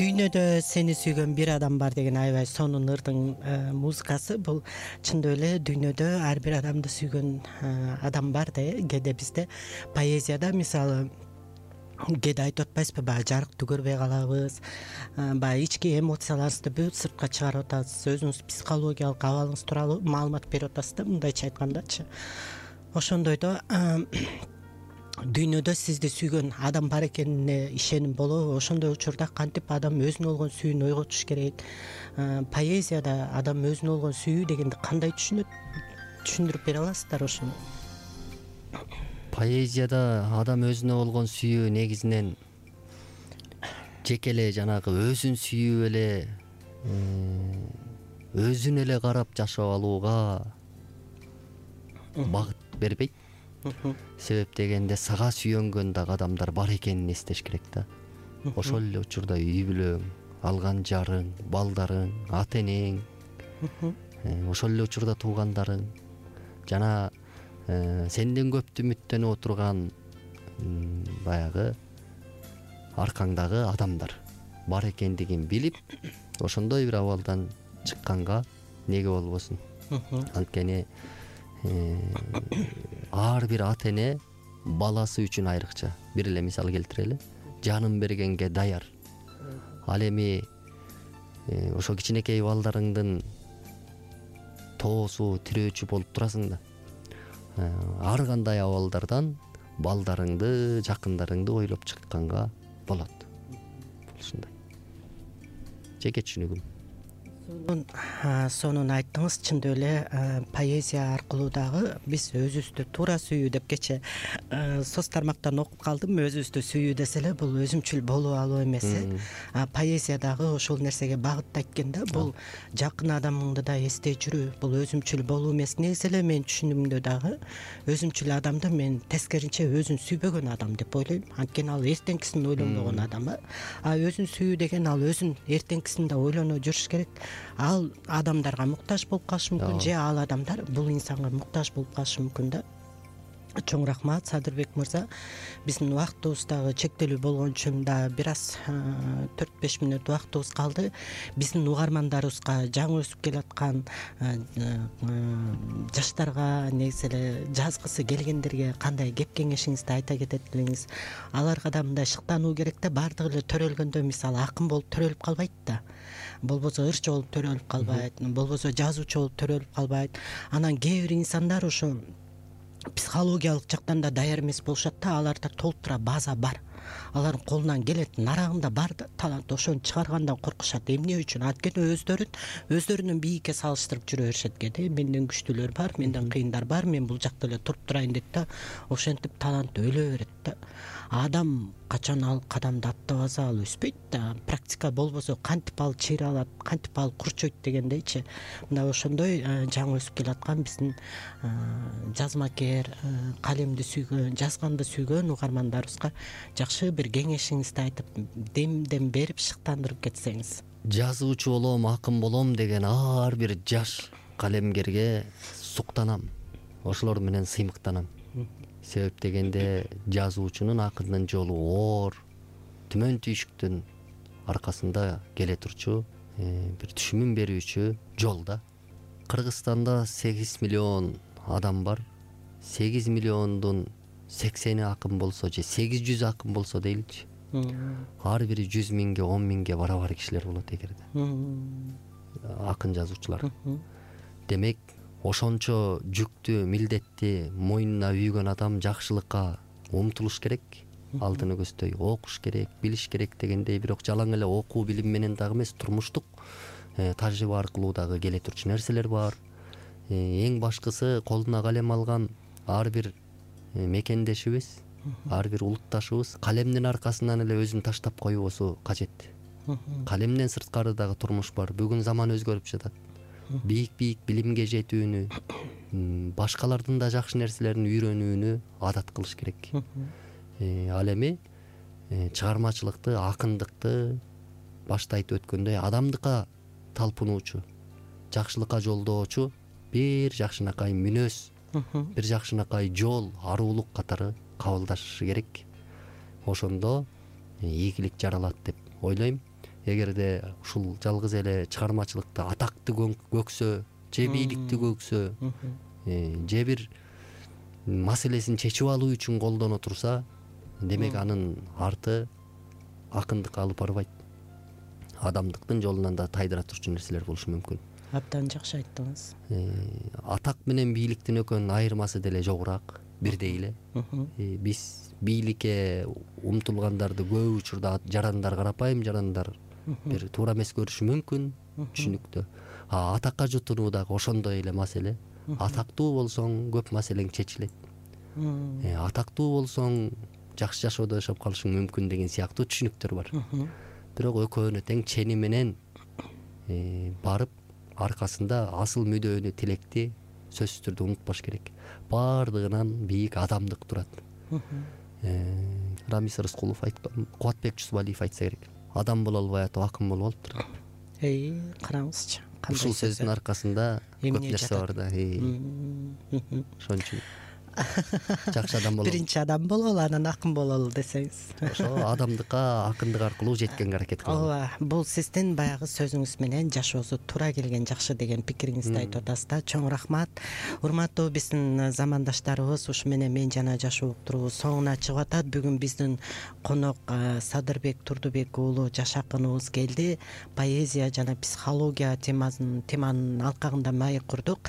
дүйнөдө сени сүйгөн бир адам бар деген аябай сонун ырдын музыкасы. Бул чындап эле дүйнөдө ар бир адамды сүйгөн адам бар да. Кээде бизде поэзияда мисалы кээде айтып атпайсызбы, баягы жарыктуу көрбөй калабыз, баягы ички эмоцияларыбызды бүт сыртка чыгарып атабыз, өзүңүз психологиялык абалыңыз тууралуу маалымат берип атасыз да, мындайча айткандачы. Ошондойдо дүйнөдө сизди сүйгөн адам бар экенине ишеним болобу? Ошондой учурда кантип адам өзүнө болгон сүйүүнү ойготуш керек? Поэзияда адам өзүнө болгон сүйүү дегенди кандай түшүнөт? Түшүндүрүп бере аласыздар ошону? Поэзияда адам өзүнө болгон сүйүү негизинен жеке эле жанагы өзүн сүйүп эле өзүн эле карап жашап алууга багыт бербейт. Себеп дегенде сага сүйөнгөн дагы адамдар бар экенин эстеш керек да. Ошол эле учурда үй бүлөң, алган жарың, балдарың, ата энең, ошол эле учурда туугандарың жана сенден көптү үмүттөнүп отурган баягы аркаңдагы адамдар бар экендигин билип, ошондой бир абалдан чыкканга неге болбосун. Анткени ар бир ата эне баласы үчүн айрыкча. Бир эле мисал келтирели. Жанын бергенге даяр. Ал эми ошо кичинекей балдарыңдын тоосу, тирөөчү болуп турасың да. Ар кандай абалдардан балдарыңды, жакындарыңды ойлоп чыкканга болот. Ушундай. Жеке түшүнүгүм. Сонун айттыңыз. Чындап эле поэзия аркылуу дагы биз өзүбүздү туура сүйүү деп кече соц тармактан окуп калдым. Өзүбүздү сүйүү десе эле бул өзүмчүл болуп алуу эмес. Поэзия дагы ошол нерсеге багыттайт экен да. Бул жакын адамыңды да эстей жүрүү. Бул өзүмчүл болуу эмес. Негизи эле менин түшүнүгүмдө дагы өзүмчүл адамды мен тескеринче өзүн сүйбөгөн адам деп ойлойм. Анткени ал эртеңкисин ойлонбогон адам. Өзүн сүйүү деген ал өзүн эртеңкисин да ойлоно жүрүш керек. Ал адамдарга муктаж болуп калышы мүмкүн, же ал адамдар бул инсанга муктаж болуп калышы мүмкүн да. Чоң рахмат Садырбек мырза. Биздин убактыбыз дагы чектелүү болгон үчүн да бир аз 4-5 мүнөт убактыбыз калды. Биздин угармандарыбызга жаңы өсүп келаткан жаштарга, негизи эле жазгысы келгендерге кандай кеп кеңешиңизди айта кетет элеңиз? Аларга да мындай шыктануу керек да. Баардыгы эле төрөлгөндө мисалы акын болуп төрөлүп калбайт да. Болбосо ырчы болуп төрөлүп калбайт, болбосо жазуучу болуп төрөлүп калбайт. Анан кээ бир инсандар ошо психологиялык жактан да даяр эмес болушат да. Аларда толтура база бар. Алардын колунан келет, нарагында бар да талант. Ошону чыгаргандан коркушат. Эмне үчүн? Анткени өздөрүнүн бийикке салыштырып жүрө беришет экен. Менден күчтүүлөр бар, менден кыйындар бар, мен бул жакта эле туруп турайын дейт да. Ошентип талант өлө берет да. Адам качан ал кадамды аттабаса ал өспөйт да. Практика болбосо кантип ал чыйра алат, кантип ал курчойт дегендейчи. Мына ошондой жаңы өсүп келаткан биздин жазмакер, калемди сүйгөн, жазганды сүйгөн угармандарыбызга жакшы бир кеңешиңизди айтып, демден берип шыктандырып кетсеңиз. Жазуучу болом, акын болом деген ар бир жаш калемгерге суктанам. Ошолор менен сыймыктанам. Себеп дегенде жазуучунун, акындын жолу оор, түмөн түйшүктүн аркасында келе турчу бир түшүмүн берүүчү жол да. Кыргызстанда 8 миллион адам бар. 8 миллиондун 80 акын болсо же 800 акын болсо дейличи. Ар бири 100 миңге, 10 миңге барабар кишилер болот эгерде. Акын жазуучулар. Демек, ошончо жүктү, милдетти мойнуна үйгөн адам жакшылыкка умтулуш керек. Алдыны көздөй окуш керек, билиш керек дегендей, бирок жалаң эле окуу билим менен дагы эмес, турмуштук тажрыйба аркылуу дагы келе турчу нерселер бар. Эң башкысы колуна калем алган ар бир мекендешибиз, ар бир улутташыбыз калемдин аркасынан эле өзүн таштап коюусу кажет. Калемден сырткары дагы турмуш бар. Бүгүн заман өзгөрүп жатат. Бийик билимге жетүүнү, башкалардын да жакшы нерселерин үйрөнүүнү адат кылыш керек. Ал эми чыгармачылыкты, акындыкты башта айтып өткөндөй адамдыкка талпынуучу, жакшылыкка жолдоочу бир жакшынакай мүнөз, бир жакшынакай жол, арулук катары кабылдашы керек. Ошондо ийгилик жаралат деп ойлойм. эгерде ушул жалгыз эле чыгармачылыкта атакты көксө же бийликти көксө же бир маселесин чечип алуу үчүн колдоно турса, демек анын арты акындыкка алып барбайт, адамдыктын жолунан да тайдыра турчу нерселер болушу мүмкүн. Абдан жакшы айттыңыз. Атак менен бийликтин экөөнүн айырмасы деле жогураак, бирдей эле. Биз бийликке умтулгандарды көп учурда жарандар, карапайым жарандар бир туура эмес көрүшү мүмкүн, түшүнүктүү. Атакка жутунуу дагы ошондой эле маселе. Атактуу болсоң көп маселең чечилет. Атактуу болсоң жакшы жашоодо жашап калышың мүмкүн деген сыяктуу түшүнүктөр бар. Бирок экөөнү тең чени менен барып аркасында асыл мүдөөнү, тилекти сөзсүз түрдө унутпаш керек. Бардыгынан бийик адамдык турат. Рамис Рыскулов айткан, Кубатбек Жусубалиев айтса керек. Адам боло албай атып акын болуп алыптыр. Караңызчы. Ушул сөздүн аркасында көп нерсе бар да. Ошон үчүн жакшы адам бололу. Биринчи адам бололу, анан акын бололу десеңиз. Ошо адамдыкка акындык аркылуу жеткенге аракет кылалы. Ооба, бул сиздин баягы сөзүңүз менен жашоосу туура келген жакшы деген пикириңизди айтып атасыз да. Чоң рахмат. Урматтуу биздин замандаштарыбыз, ушу менен мен жана жашоо уктуруу соңуна чыгып атат. Бүгүн биздин конок Садырбек Турдубек уулу Жаш акыныбыз келди. Поэзия жана психология теманын алкагында маек курдук.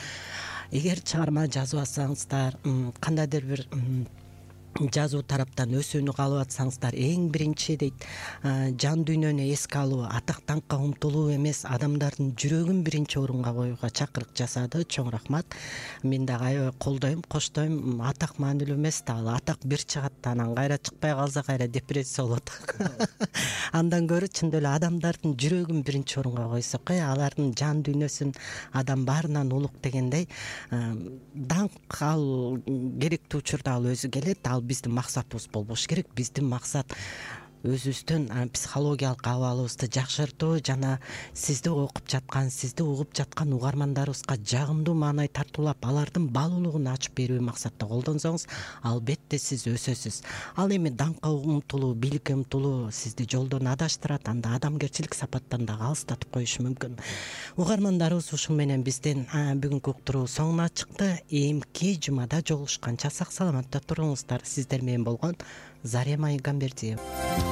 Эгер чыгарма жазып атсаңыздар, кандайдыр бир жазуу тараптан өсүүнү каалап атсаңыздар, эң биринчи дейт, жан дүйнөнү эске алуу, атак даңкка умтулуу эмес, адамдардын жүрөгүн биринчи орунга коюуга чакырык жасады. Чоң рахмат. Мен дагы аябай колдойм, коштойм. Атак маанилүү эмес да, ал атак бир чыгат, анан кайра чыкпай калса кайра депрессия болот. Андан көрө чындап эле адамдардын жүрөгүн биринчи орунга койсок, алардын жан дүйнөсүн адам баарынан улук дегендей, даңк ал керектүү учурда ал өзү келет. Ал биздин максатыбыз болбош керек. Биздин максат өзүбүздүн психологиялык абалыбызды жакшыртуу жана сизди окуп жаткан, сизди угуп жаткан угармандарыбызга жагымдуу маанай тартуулап, алардын баалуулугун ачып берүү максатта колдонсоңуз, албетте сиз өсөсүз. Ал эми даңкка умтулуу, бийликке умтулуу сизди жолдон адаштырат, анда адамгерчилик сапаттан дагы алыстатып коюшу мүмкүн. Угармандарыбыз, ушун менен биздин бүгүнкү уктуруу соңуна чыкты. Эмки жумада жолугушканча сак саламатта туруңуздар. Сиздер менен болгон Зарема Игамбердиева.